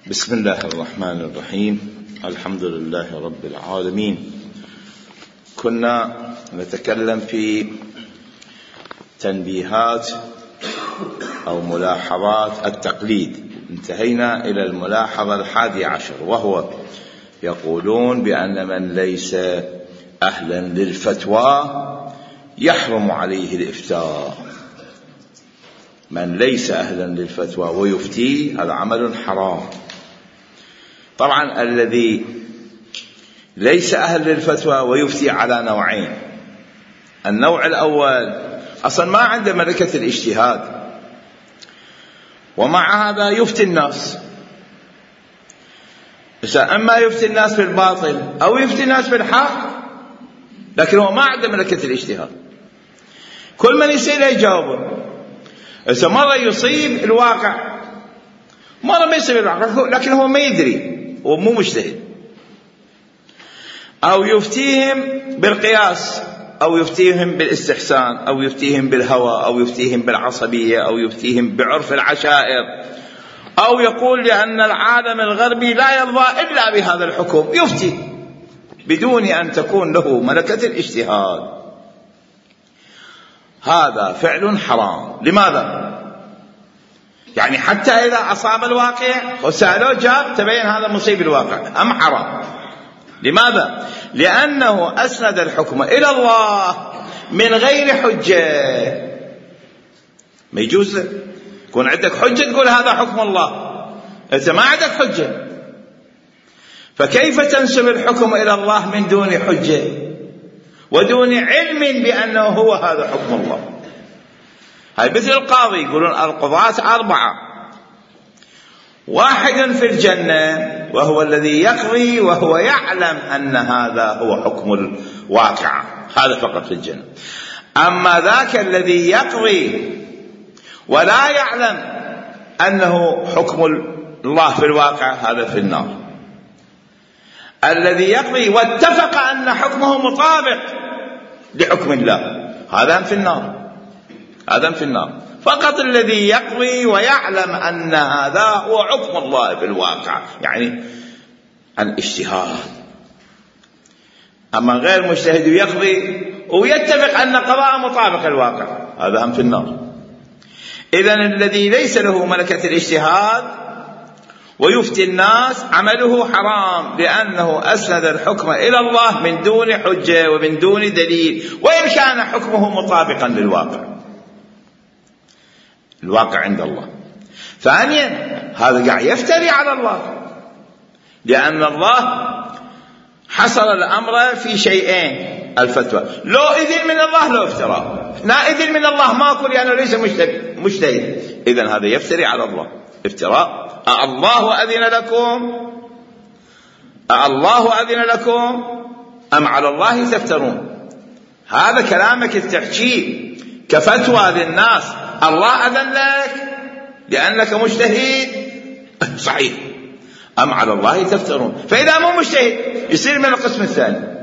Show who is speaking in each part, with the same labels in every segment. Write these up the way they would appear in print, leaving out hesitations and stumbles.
Speaker 1: بسم الله الرحمن الرحيم. الحمد لله رب العالمين. كنا نتكلم في تنبيهات أو ملاحظات التقليد، انتهينا إلى الملاحظة 11، وهو يقولون بأن من ليس أهلا للفتوى يحرم عليه الإفتاء. من ليس أهلا للفتوى ويفتي هذا عمل حرام. طبعا الذي ليس أهل للفتوى ويفتي على نوعين. النوع الأول أصلا ما عنده ملكة الاجتهاد، ومع هذا يفتي الناس. إما يفتي الناس بالباطل أو يفتي الناس بالحق، لكن هو ما عنده ملكة الاجتهاد. كل من يسأله يجاوبه. إذا مرة يصيب الواقع، مرة ما يصيب الواقع، لكن هو ما يدري، هو مو مجتهد. أو يفتيهم بالقياس، أو يفتيهم بالاستحسان، أو يفتيهم بالهوى، أو يفتيهم بالعصبية، أو يفتيهم بعرف العشائر، أو يقول لأن العالم الغربي لا يرضى إلا بهذا الحكم، يفتي بدون أن تكون له ملكة الاجتهاد. هذا فعل حرام. لماذا؟ يعني حتى إذا أصاب الواقع وسألوه جاب تبين هذا مصيب الواقع أم حرام. لماذا؟ لأنه أسند الحكم إلى الله من غير حجة. ما يجوز يكون عندك حجة تقول هذا حكم الله، أنت ما عندك حجة، فكيف تنسب الحكم إلى الله من دون حجة ودون علم بأنه هو هذا حكم الله؟ هاي مثل القاضي، يقولون القضاة 4، واحد في الجنة وهو الذي يقضي وهو يعلم أن هذا هو حكم الواقع، هذا فقط في الجنة. أما ذاك الذي يقضي ولا يعلم أنه حكم الله في الواقع هذا في النار. الذي يقضي واتفق أن حكمه مطابق لحكم الله هذا في النار، هذا في النار. فقط الذي يقضي ويعلم أن هذا هو حكم الله في الواقع، يعني عن اجتهاد. أما غير مجتهد يقضي ويتفق أن قضاء مطابق الواقع هذا هم في النار. إذن الذي ليس له ملكة الاجتهاد ويفتي الناس عمله حرام، لأنه أسند الحكم إلى الله من دون حجة ومن دون دليل، وإن كان حكمه مطابقا للواقع، الواقع عند الله. ثانيا هذا قاعد يفتري على الله، لأن الله حصر الأمر في شيئين: الفتوى لو إذن من الله لو افتراء، لا إذن من الله ماكو لأنه ليس مجتهد. إذن هذا يفتري على الله افتراء. الله أذن لكم، الله أذن لكم أم على الله تفترون؟ هذا كلامك تحكيه كفتوى للناس. الله أذن لك لأنك مجتهد، صحيح، أم على الله تفترون؟ فإذا مو مجتهد يصير من القسم الثاني.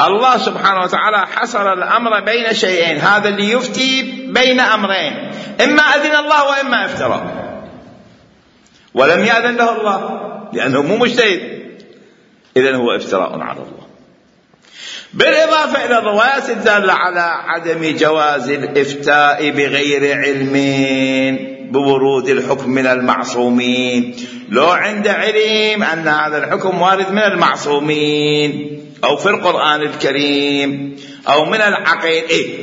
Speaker 1: الله سبحانه وتعالى حصر الأمر بين شيئين، هذا اللي يفتي بين أمرين: إما أذن الله وإما افترى، ولم يأذن له الله لأنه مو مجتهد، إذن هو افتراء على الله. بالإضافة إلى الروايات الدالة على عدم جواز الإفتاء بغير علم بورود الحكم من المعصومين. لو عند علم أن هذا الحكم وارد من المعصومين أو في القرآن الكريم أو من العقل،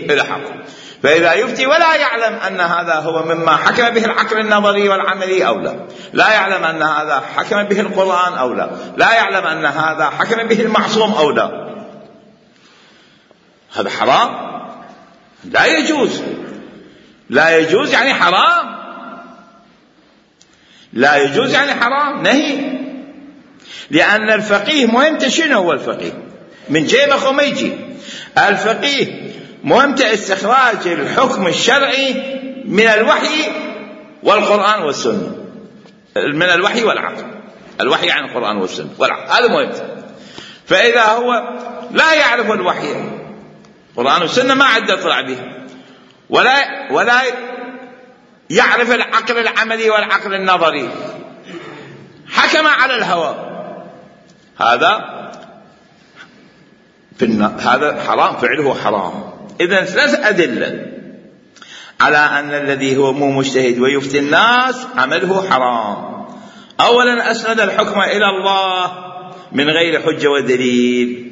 Speaker 1: إلى حكم، فإذا يفتي ولا يعلم أن هذا هو مما حكم به العقل النظري والعملي أو لا، لا يعلم أن هذا حكم به القرآن أو لا، لا يعلم أن هذا حكم به المعصوم أو لا، هذا حرام، لا يجوز. لا يجوز يعني حرام، لا يجوز يعني حرام، نهي. لأن الفقيه مهمته شنو؟ هو الفقيه من جيبه وما يجي. الفقيه مهمته استخراج الحكم الشرعي من الوحي والقرآن والسنة، من الوحي والعقل. الوحي عن القرآن والسنة والعقل، هذا مهمته. فإذا هو لا يعرف الوحي، القرآن والسنة ما عاد يطلع بها، ولا يعرف العقل العملي والعقل النظري، حكم على الهوى، هذا حرام، فعله حرام. إذن 3 أدلة على أن الذي هو مو مجتهد ويفتي الناس عمله حرام. أولا أسند الحكم إلى الله من غير حجة ودليل،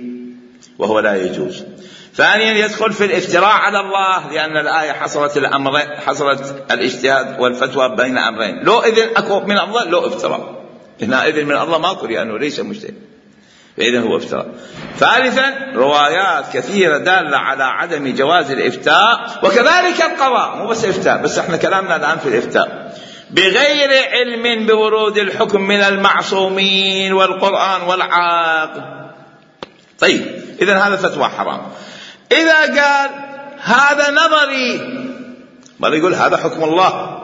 Speaker 1: وهو لا يجوز. ثانيا يدخل في الافتراء على الله، لأن الآية حصرت الاجتهاد والفتوى بين أمرين، لو إذن أكو من الله لو افتراء، هنا إذن من الله ماكو لأنه ليس مجتهد، فإذن هو افتراء. ثالثا روايات كثيرة دالة على عدم جواز الإفتاء، وكذلك القضاء، مو بس إفتاء، بس احنا كلامنا الآن في الإفتاء بغير علم بورود الحكم من المعصومين والقرآن والعقل. طيب إذن هذا فتوى حرام. إذا قال هذا نظري، مرة يقول هذا حكم الله،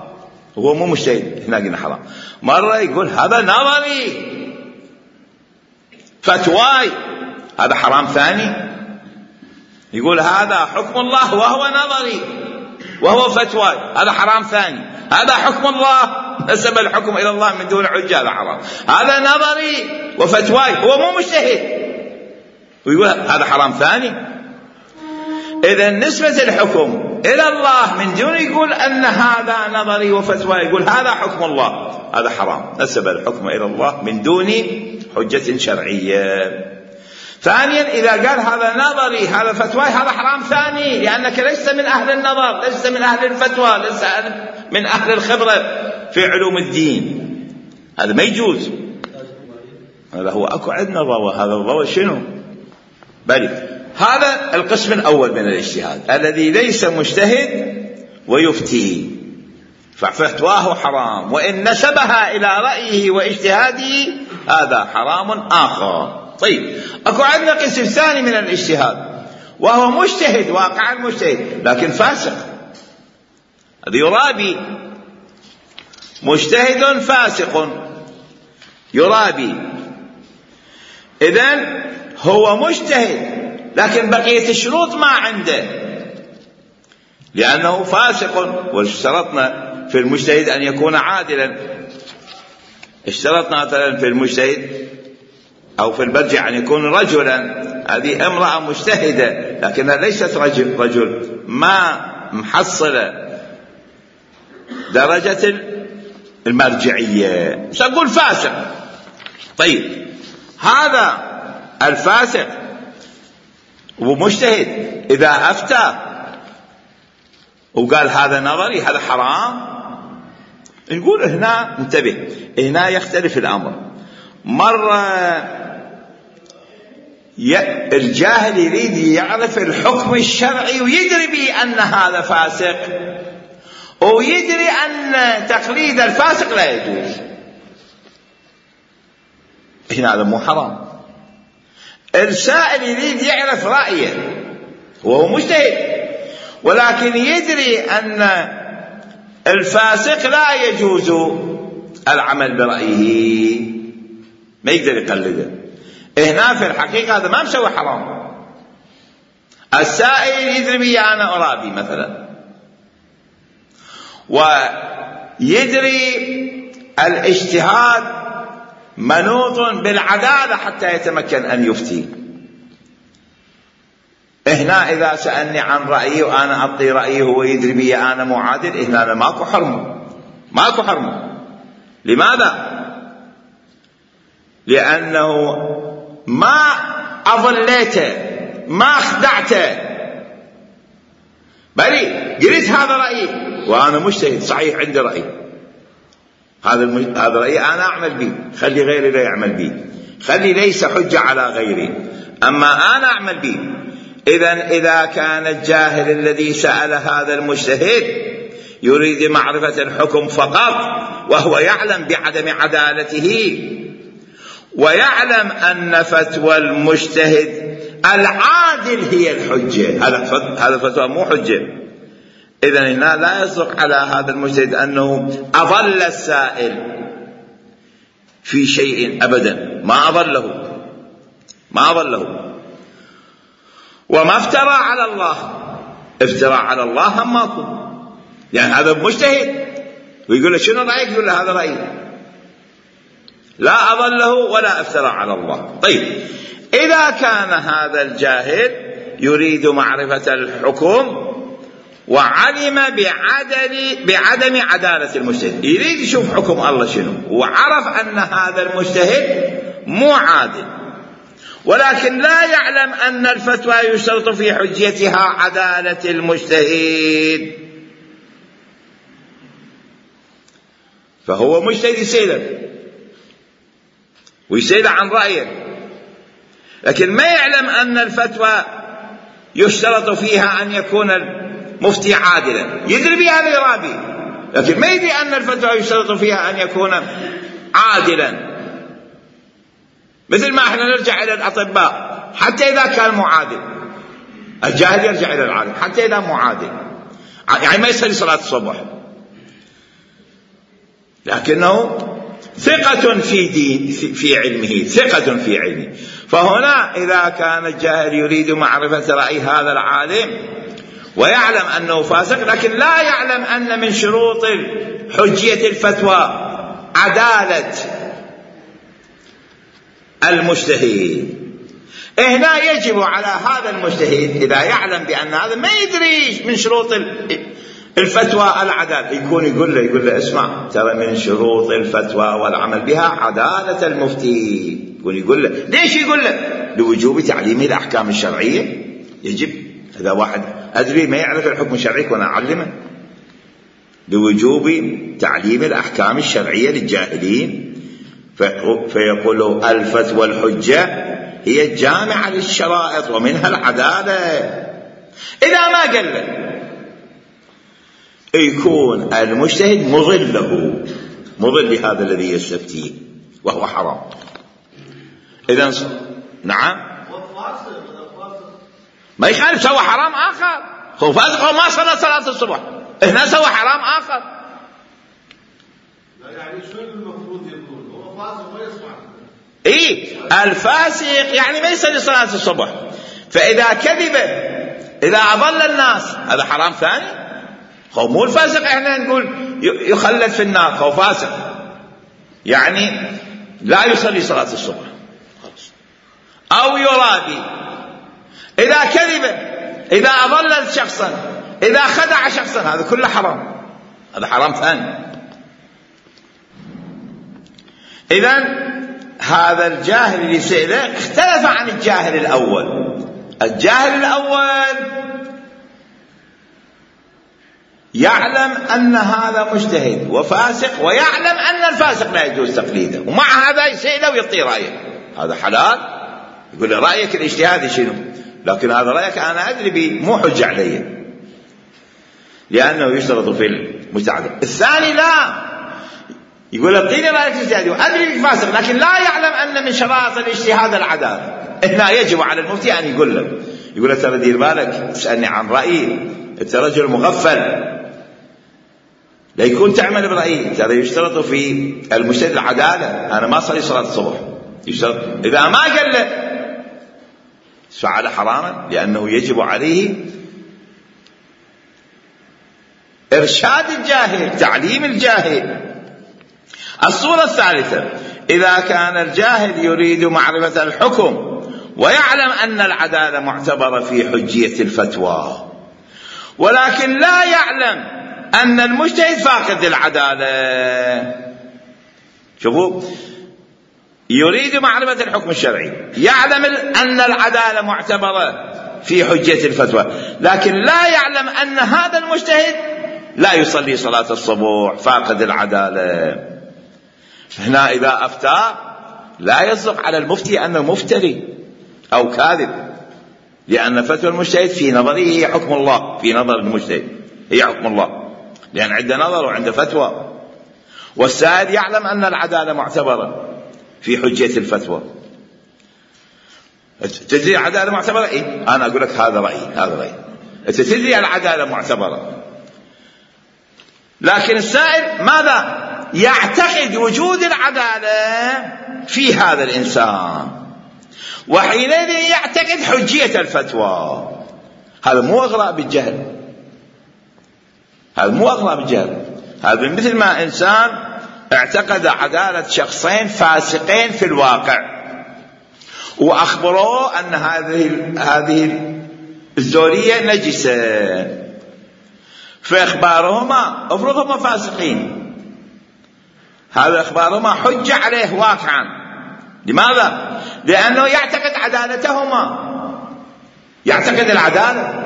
Speaker 1: هو مو مجتهد، هنا قلنا حرام. مرة يقول هذا نظري فتواي، هذا حرام ثاني. يقول هذا حكم الله وهو نظري وهو فتواي، هذا حرام ثاني. هذا حكم الله، نسب الحكم إلى الله من دون حجة، هذا حرام. هذا نظري وفتواي، هو مو مجتهد، ويقول هذا حرام ثاني. إذا نسبة الحكم إلى الله من دون يقول أن هذا نظري وفتواي، يقول هذا حكم الله، هذا حرام، نسب الحكم إلى الله من دون حجة شرعية. ثانيا إذا قال هذا نظري هذا فتواي، هذا حرام ثاني، لأنك ليس من أهل النظر، ليس من أهل الفتوى، ليس من أهل الخبرة في علوم الدين، هذا ما يجوز. هذا هو أكو عندنا الروى، هذا الروى شنو؟ بل هذا القسم الأول من الاجتهاد الذي ليس مجتهد ويفتي، ففتواه حرام، وإن نسبها إلى رأيه واجتهاده هذا حرام آخر. طيب أكو عندنا قسم ثاني من الاجتهاد، وهو مجتهد واقع المجتهد لكن فاسق، هذا يرابي، مجتهد فاسق يرابي. إذن هو مجتهد لكن بقية الشروط ما عنده، لأنه فاسق. واشترطنا في المجتهد أن يكون عادلا، اشترطنا مثلا في المجتهد أو في البرجع أن يكون رجلا، هذه امرأة مجتهدة لكنها ليست رجل، ما محصلة درجة المرجعية، سنقول فاسق. طيب هذا الفاسق ومجتهد إذا أفتى وقال هذا نظري هذا حرام، نقول هنا انتبه، هنا يختلف الأمر. مرة الجاهل يريد يعرف الحكم الشرعي ويدري بأن هذا فاسق، ويدري أن تقليد الفاسق لا يجوز، هنا هذا مو حرام. السائل يريد يعرف رأيه وهو مجتهد، ولكن يدري أن الفاسق لا يجوز العمل برأيه، ما يقدر يقلده. هنا في الحقيقة هذا ما مسوي حرام. السائل يدري بي أنا أرابي مثلا، ويدري الاجتهاد منوط بالعدالة حتى يتمكن أن يفتي. هنا إذا سألني عن رأيي وأنا أعطي رأيي هو يدري بي أنا معادل، هنا ماكو حرمه، ماكو حرمه. لماذا؟ لأنه ما أضليته، ما خدعته، بل قلت هذا رأيي وأنا مجتهد صحيح، عندي رأي، هذا رأيي أنا أعمل به، خلي غيري لا يعمل به، خلي ليس حجة على غيري، أما أنا أعمل به. إذا كان الجاهل الذي سأل هذا المجتهد يريد معرفة الحكم فقط، وهو يعلم بعدم عدالته، ويعلم أن فتوى المجتهد العادل هي الحجة، هذا فتوى مو حجة، إذن هنا لا يصدق على هذا المجتهد أنه أضل السائل في شيء أبدا، ما أضله، وما افترى على الله. افتراء على الله هم ماكو، يعني هذا مجتهد ويقول له شنو رأيك، يقول له هذا رأيي. لا أضله ولا افترى على الله. طيب، إذا كان هذا الجاهل يريد معرفة الحكم وعلم بعدم عدالة المجتهد، يريد يشوف حكم الله شنو، وعرف أن هذا المجتهد مو عادل، ولكن لا يعلم أن الفتوى يشترط في حجيتها عدالة المجتهد، فهو مجتهد يسأله ويسأل عن رأيه، لكن ما يعلم أن الفتوى يشترط فيها أن يكون المفتي عادلا. يدري بهذا يرابي، لكن ما يدري أن الفتوى يشترط فيها أن يكون عادلا. مثل ما احنا نرجع إلى الأطباء حتى إذا كان معادل، الجاهل يرجع إلى العالم حتى إذا معادل، يعني ما يصلي صلاة الصبح لكنه ثقة في علمه، ثقة في علمه. فهنا إذا كان الجاهل يريد معرفة رأي هذا العالم ويعلم أنه فاسق، لكن لا يعلم أن من شروط حجية الفتوى عدالة المجتهد، هنا يجب على هذا المجتهد إذا يعلم بأن هذا ما يدري من شروط الفتوى العدالة، يقول له اسمع، ترى من شروط الفتوى والعمل بها عدالة المفتي. يقول له ليش؟ يقول له لوجوب تعليم الأحكام الشرعية. يجب، إذا واحد أدري ما يعرف الحكم الشرعي وأنا أعلمه، لوجوب تعليم الأحكام الشرعية للجاهلين. فيقول الفتوى الحجة هي الجامعة للشرائط ومنها العدالة. إذا ما قال له يكون المجتهد مضل لهذا الذي يستفتيه وهو حرام. إذن نعم ما يخالف، سوى حرام آخر، هو فاسق وما صلى صلاة الصبح، هنا سوى حرام آخر.
Speaker 2: يعني شو المفروض يكون؟ هو فاسق ويسمع.
Speaker 1: الفاسق يعني ما يصلي صلاة الصبح، فإذا كذب، إذا أضل الناس، هذا حرام ثاني. هو مو الفاسق احنا نقول يخلد في النار، هو فاسق يعني لا يصلي صلاة الصبح خلاص، أو يرابي، إذا كذب، إذا أضل شخصا، إذا خدع شخصا، هذا كله حرام، هذا حرام ثاني. إذن هذا الجاهل اللي سئله اختلف عن الجاهل الأول. الجاهل الأول يعلم أن هذا مجتهد وفاسق، ويعلم أن الفاسق لا يجوز تقليده، ومع هذا يسأله ويعطي رأيه، هذا حلال. يقول له رأيك الاجتهادي شنو؟ لكن هذا رأيك أنا أدري به، مو حجة علي، لأنه يشترط في المجتهد. الثاني لا، يقول اعطيني رأيك الاجتهادي وأدري بك فاسق، لكن لا يعلم أن من شرائط الاجتهاد العدالة. هنا يجب على المفتي أن يقول له ترى دير بالك، تسألني عن رأيي، أنت رجل مغفل، لا يكون تعمل برأيي، ترى يشترط في المجتهد العدالة، أنا ما أصلي صلاة الصبح، يشترط. إذا ما قال له فعل حراما، لأنه يجب عليه إرشاد الجاهل، تعليم الجاهل. الصورة الثالثة، إذا كان الجاهل يريد معرفة الحكم ويعلم أن العدالة معتبرة في حجية الفتوى، ولكن لا يعلم أن المجتهد فاقد العدالة. شوفوا، يريد معرفة الحكم الشرعي، يعلم أن العدالة معتبرة في حجية الفتوى، لكن لا يعلم أن هذا المجتهد لا يصلي صلاة الصبح، فاقد العدالة. هنا إذا أفتى لا يصدق على المفتي أنه مفتري أو كاذب، لأن فتوى المجتهد في نظره هي حكم الله، في نظر المجتهد هي حكم الله، لأن عنده نظر وعنده فتوى. والسائل يعلم أن العدالة معتبرة في حجية الفتوى. تدري العدالة معتبرة؟ إيه؟ أنا أقول لك هذا رأيي، هذا رأيي. أنت تدري العدالة معتبرة، لكن السائل ماذا؟ يعتقد وجود العدالة في هذا الإنسان، وحينئذ يعتقد حجية الفتوى. هذا مو أغراء بالجهل، هذا مو أغراء بالجهل، هذا مثل ما إنسان اعتقد عدالة شخصين فاسقين في الواقع، وأخبروه أن هذه الزورية نجسة، فإخبارهما افرضهما فاسقين، هذا إخبارهما حجة عليه واقعا. لماذا؟ لأنه يعتقد عدالتهما، يعتقد العدالة،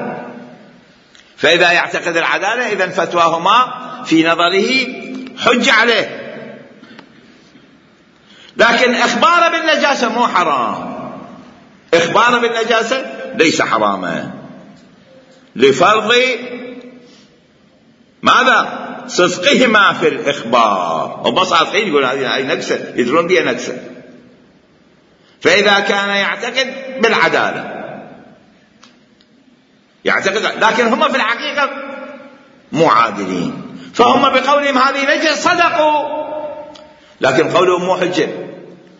Speaker 1: فإذا يعتقد العدالة إذن فتواهما في نظره حجة عليه. لكن إخباره بالنجاسة مو حرام، إخباره بالنجاسة ليس حراما لفرض ماذا؟ صدقهما في الإخبار. هم صادقين يقول هذه نكسة، يدرون بها نكسة. فإذا كان يعتقد بالعدالة يعتقد، لكن هم في الحقيقة مو عادلين، فهم بقولهم هذه نجسة صدقوا، لكن قولهم مو حجة،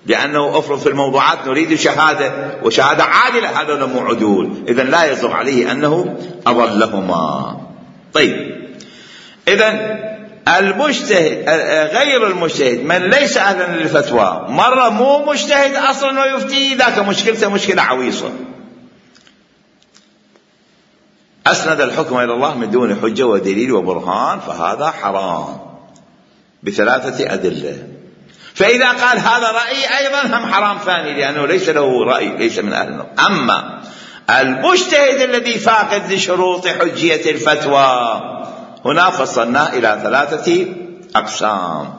Speaker 1: لأنه أفرض في الموضوعات نريد شهادة، وشهادة عادلة، هذا مو عدول، إذن لا يصدق عليه أنه أضلهما. طيب، إذن المجتهد غير المجتهد من ليس أهلا للفتوى، مرة مو مجتهد أصلا ويفتي، ذاك مشكلته مشكلة عويصة، أسند الحكم إلى الله من دون حجة ودليل وبرهان، فهذا حرام بثلاثة أدلة. فإذا قال هذا رأي أيضا هم حرام ثاني، لأنه ليس له رأي، ليس من أهل النار. أما المجتهد الذي فاقد لشروط حجية الفتوى، هنا فصلنا إلى ثلاثة أقسام.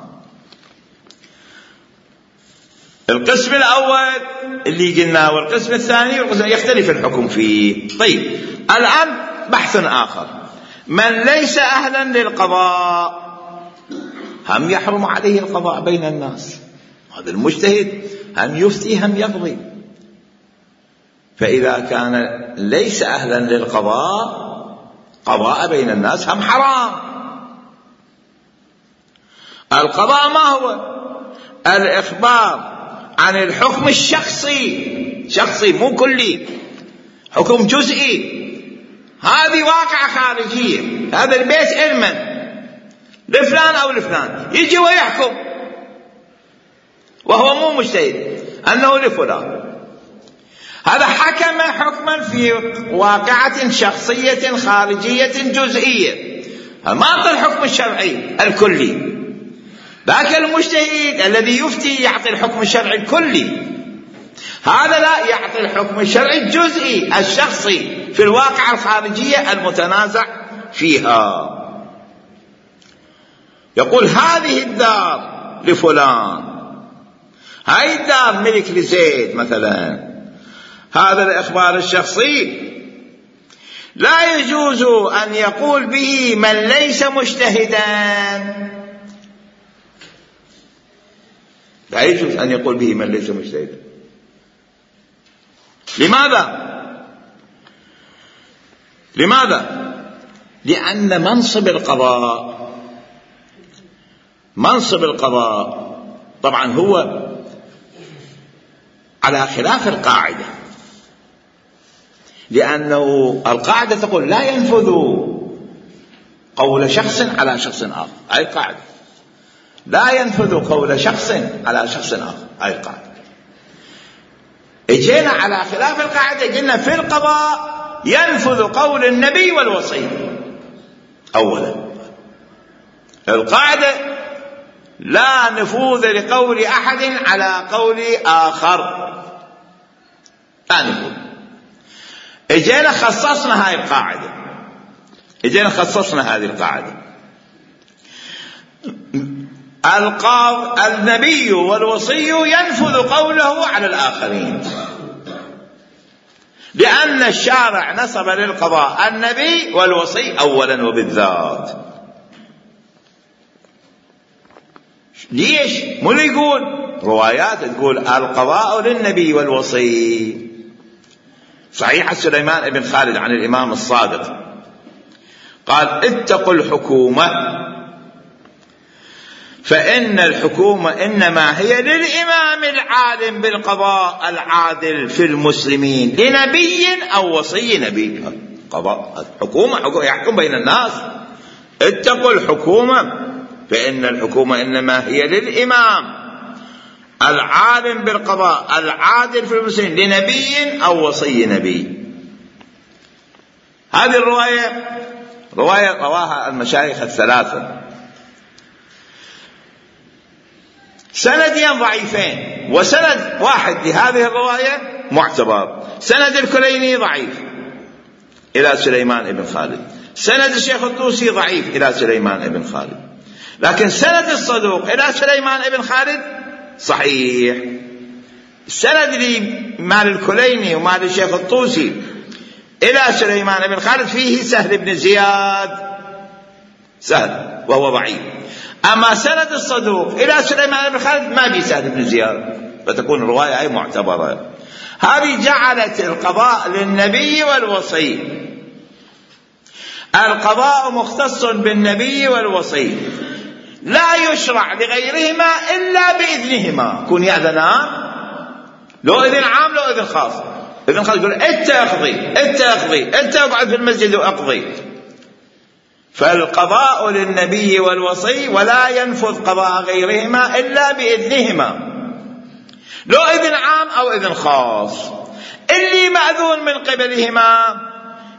Speaker 1: القسم الأول اللي قلنا، والقسم الثاني يختلف الحكم فيه. طيب، الآن بحث آخر، من ليس أهلا للقضاء هم يحرم عليه القضاء بين الناس، هذا المجتهد هم يفتي هم يقضي، فإذا كان ليس أهلا للقضاء قضاء بين الناس هم حرام. القضاء ما هو؟ الإخبار عن الحكم الشخصي، شخصي مو كلي، حكم جزئي، هذه واقعة خارجية، هذا البيت علما لفلان أو لفلان، يجي ويحكم وهو مو مجتهد أنه لفلان، هذا حكم حكما في واقعة شخصية خارجية جزئية، ما أعطى الحكم الشرعي الكلي. ذاك المجتهد الذي يفتي يعطي الحكم الشرعي الكلي، هذا لا، يعطي الحكم الشرعي الجزئي الشخصي في الواقعة الخارجية المتنازع فيها. يقول هذه الدار لفلان، هاي الدار ملك لزيد مثلا، هذا الإخبار الشخصي لا يجوز أن يقول به من ليس مجتهدا، لا يجوز أن يقول به من ليس مجتهدا. لماذا؟ لأن منصب القضاء طبعا هو على خلاف القاعدة، لأنه القاعدة تقول لا ينفذ قول شخص على شخص آخر، هاي القاعدة، لا ينفذ قول شخص على شخص آخر، هاي القاعدة. اجينا على خلاف القاعدة، قلنا في القضاء ينفذ قول النبي والوصي أولا، القاعدة لا نفوذ لقول أحد على قول آخر، لا نفوذ. اجينا خصصنا هذه القاعدة، النبي والوصي ينفذ قوله على الآخرين، لأن الشارع نسب للقضاء النبي والوصي أولا وبالذات. ليش؟ مو اللي يقول روايات تقول القضاء للنبي والوصي. صحيح سليمان بن خالد عن الإمام الصادق قال اتقوا الحكومة فإن الحكومة إنما هي للإمام العالم بالقضاء العادل في المسلمين لنبي أو وصي نبي. قضاء الحكومة يحكم بين الناس، اتقوا الحكومة فإن الحكومة إنما هي للإمام العالم بالقضاء العادل في المسلمين لنبي أو وصي نبي. هذه رواية رواها المشايخ الثلاثة، سندين ضعيفين، وسند واحد لهذه الرواية معتبر. سند الكليني ضعيف إلى سليمان بن خالد، سند الشيخ الطوسي ضعيف إلى سليمان بن خالد، لكن سند الصدوق إلى سليمان بن خالد صحيح. السند مال الكليني ومال الشيخ الطوسي إلى سليمان بن خالد فيه سهل بن زياد، سهل وهو ضعيف. أما سند الصدوق إلى سليمان بن خالد ما في سهل بن زياد، فتكون الرواية أي معتبرة. هذه جعلت القضاء للنبي والوصي، القضاء مختص بالنبي والوصي، لا يشرع لغيرهما إلا بإذنهما. كن يأذنان، لو إذن عام لو إذن خاص. إذن خاص يقول أنت أقضي، أنت أقضي، أنت أقعد في المسجد وأقضي. فالقضاء للنبي والوصي ولا ينفذ قضاء غيرهما إلا بإذنهما، لو إذن عام أو إذن خاص. اللي مأذون من قبلهما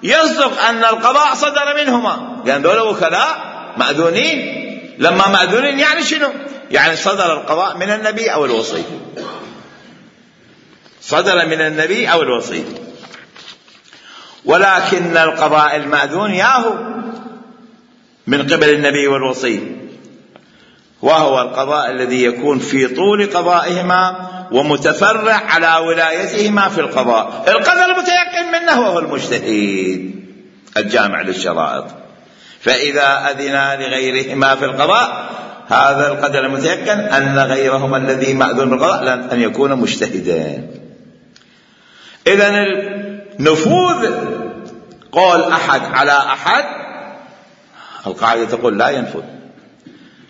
Speaker 1: يصدق أن القضاء صدر منهما، لأن دول وكلاء مأذونين. لما مأذونين يعني شنو؟ يعني صدر القضاء من النبي أو الوصي، صدر من النبي أو الوصي. ولكن القضاء المأذون ياهو من قبل النبي والوصي، وهو القضاء الذي يكون في طول قضائهما ومتفرع على ولايتهما في القضاء. القدر المتيقن منه وهو المجتهد الجامع للشرائط. فإذا أذنا لغيرهما في القضاء، هذا القدر المتيقن أن غيرهما الذي مأذون بالقضاء أن يكون مجتهدا. إذن النفوذ قول أحد على أحد، القاعدة تقول لا ينفذ.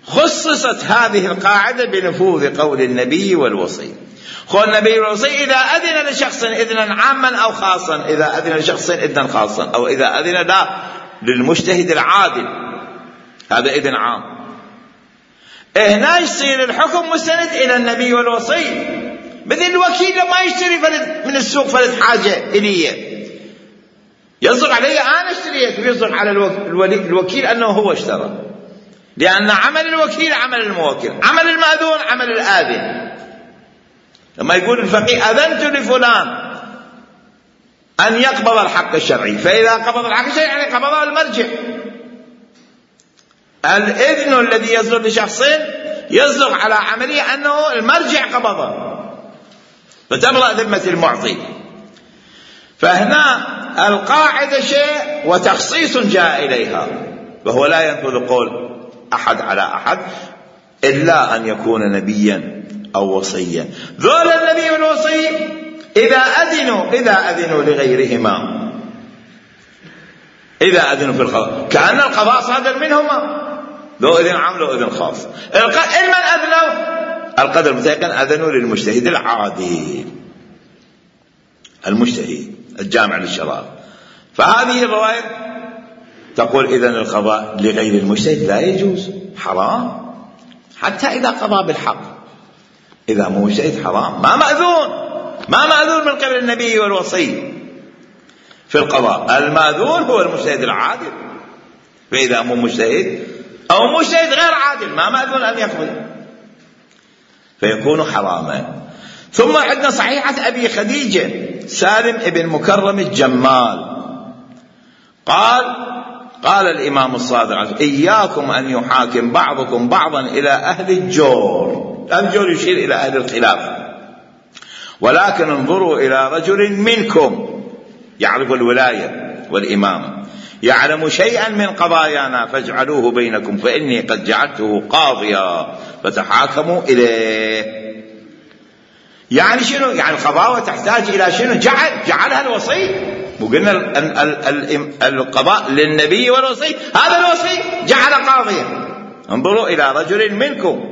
Speaker 1: خصصت هذه القاعدة بنفوذ قول النبي والوصي. قول النبي والوصي إذا أذن لشخص إذنا عاما أو خاصا، إذا أذن لشخص إذنا خاصا، أو إذا أذن للمجتهد العادل، هذا إذن عام. هنا يصير الحكم مستند إلى النبي والوصي. مثل الوكيل لما يشتري فلد من السوق فلد حاجة إليه، يصدق علي أنا اشتريت، ويصدق على الوكيل أنه هو اشترى، لأن عمل الوكيل عمل الموكل، عمل المأذون عمل الآذن. لما يقول الفقيه أذنت لفلان أن يقبض الحق الشرعي، فإذا قبض الحق الشرعي يعني قبضه المرجع. الإذن الذي يصدر لشخص يصدق على عملية أنه المرجع قبضه، فتبرأ ذمة المعطي. فهنا القاعدة شيء وتخصيص جاء إليها، وهو لا ينفذ قول أحد على أحد إلا أن يكون نبيا أو وصيا. ذول النبي والوصي إذا أذنوا لغيرهما، إذا أذنوا في القضاء كأن القضاء صادر منهما، لو إذن عام لو إذن خاص. من أذنوا القدر المتيقن أذنوا للمجتهد العادل، المجتهد الجامع للشرائع. فهذه الرواية تقول إذن القضاء لغير المجتهد لا يجوز، حرام، حتى إذا قضى بالحق. إذا مو مجتهد حرام، ما مأذون من قبل النبي والوصي في القضاء. المأذون هو المجتهد العادل، فإذا مو مجتهد أو مجتهد غير عادل ما مأذون أن يقضي، فيكون حراما. ثم عندنا صحيحة أبي خديجة سالم ابن مكرم الجمال قال الإمام الصادق إياكم أن يحاكم بعضكم بعضا إلى أهل الجور. الجور يشير إلى أهل الخلاف، ولكن انظروا إلى رجل منكم يعرف الولاية والإمام، يعلم شيئا من قضايانا فاجعلوه بينكم، فإني قد جعلته قاضيا فتحاكموا إليه. يعني شنو؟ يعني القضاء تحتاج إلى شنو؟ جعلها الوصي. وقلنا القضاء للنبي والوصي، هذا الوصي جعل قاضيا. انظروا إلى رجل منكم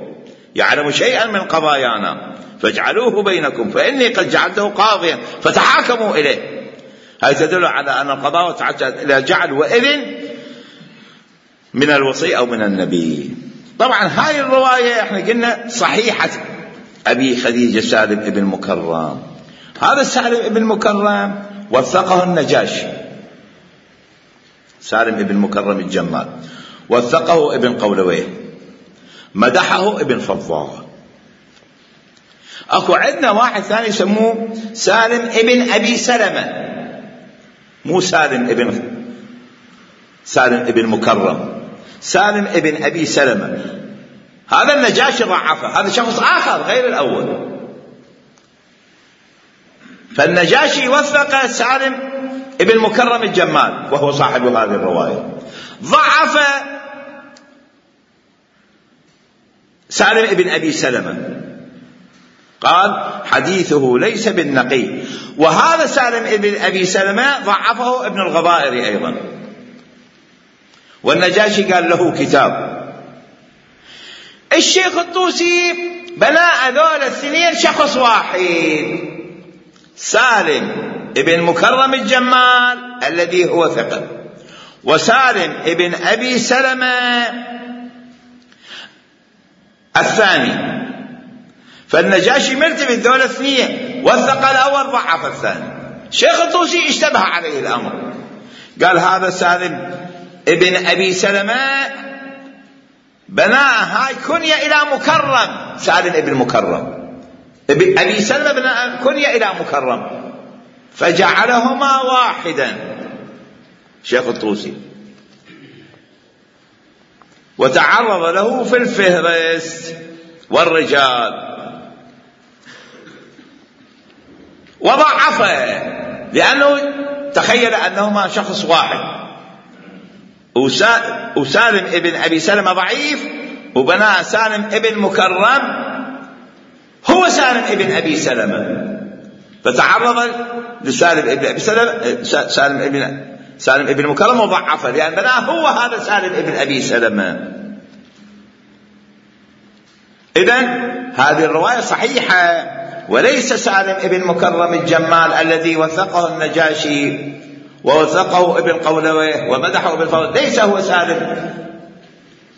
Speaker 1: يعلم شيئا من قضايانا فاجعلوه بينكم، فإني قد جعلته قاضيا فتحاكموا إليه. هذا تدل على أن القضاء تحتاج إلى جعل وإذن من الوصي أو من النبي. طبعا هاي الرواية احنا قلنا صحيحة أبي خديجة سالم ابن مكرم. هذا سالم ابن مكرم وثقه النجاشي، سالم ابن مكرم الجمال، وثقه ابن قولويه، مدحه ابن فضال. اكو عندنا واحد ثاني يسموه سالم ابن ابي سلمة، مو سالم ابن مكرم، سالم ابن ابي سلمة. هذا النجاشي ضعفه، هذا شخص اخر غير الاول. فالنجاشي وثق سالم ابن مكرم الجمال وهو صاحب هذه الرواية، ضعف سالم ابن ابي سلمة، قال حديثه ليس بالنقي. وهذا سالم ابن ابي سلمة ضعفه ابن الغبائر ايضا. والنجاشي قال له كتاب. الشيخ الطوسي بناء ذول الاثنين شخص واحد، سالم ابن مكرم الجمال الذي هو ثقة، وسالم ابن ابي سلمة الثاني. فالنجاشي مرتبط ذول الاثنين، وثق الاول ضعف الثاني. الشيخ الطوسي اشتبه عليه الامر، قال هذا سالم ابن ابي سلمة بناء هاي كنية الى مكرم، سالم ابن مكرم، ابي سلمة بناء كنية الى مكرم، فجعلهما واحدا شيخ الطوسي، وتعرض له في الفهرس والرجال وضعفه، لأنه تخيل أنهما شخص واحد، وسالم ابن أبي سلمة ضعيف، وبناء سالم ابن مكرم هو سالم ابن أبي سلمة، فتعرض لسالم ابن أبي سلمة سالم ابن مكرم وضعفه، لأن بناء هو هذا سالم ابن أبي سلمة. إذن هذه الرواية صحيحة، وليس سالم ابن مكرم الجمال الذي وثقه النجاشي ووثقه ابن قولويه ومدحه ابن فضل، ليس هو سالم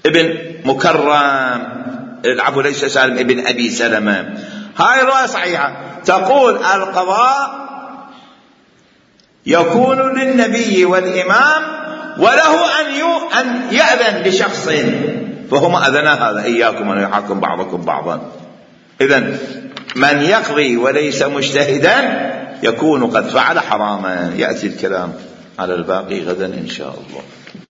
Speaker 1: ابن مكرم، العفو، ليس سالم ابن أبي سلمة. هاي الرواية صحيحة، تقول القضاء يكون للنبي والإمام وله أن يأذن لشخص، فهم أذنا هذا إياكم أن يحاكم بعضكم بعضا. إذن من يقضي وليس مجتهدا يكون قد فعل حراما. يأتي الكلام على الباقي غدا إن شاء الله.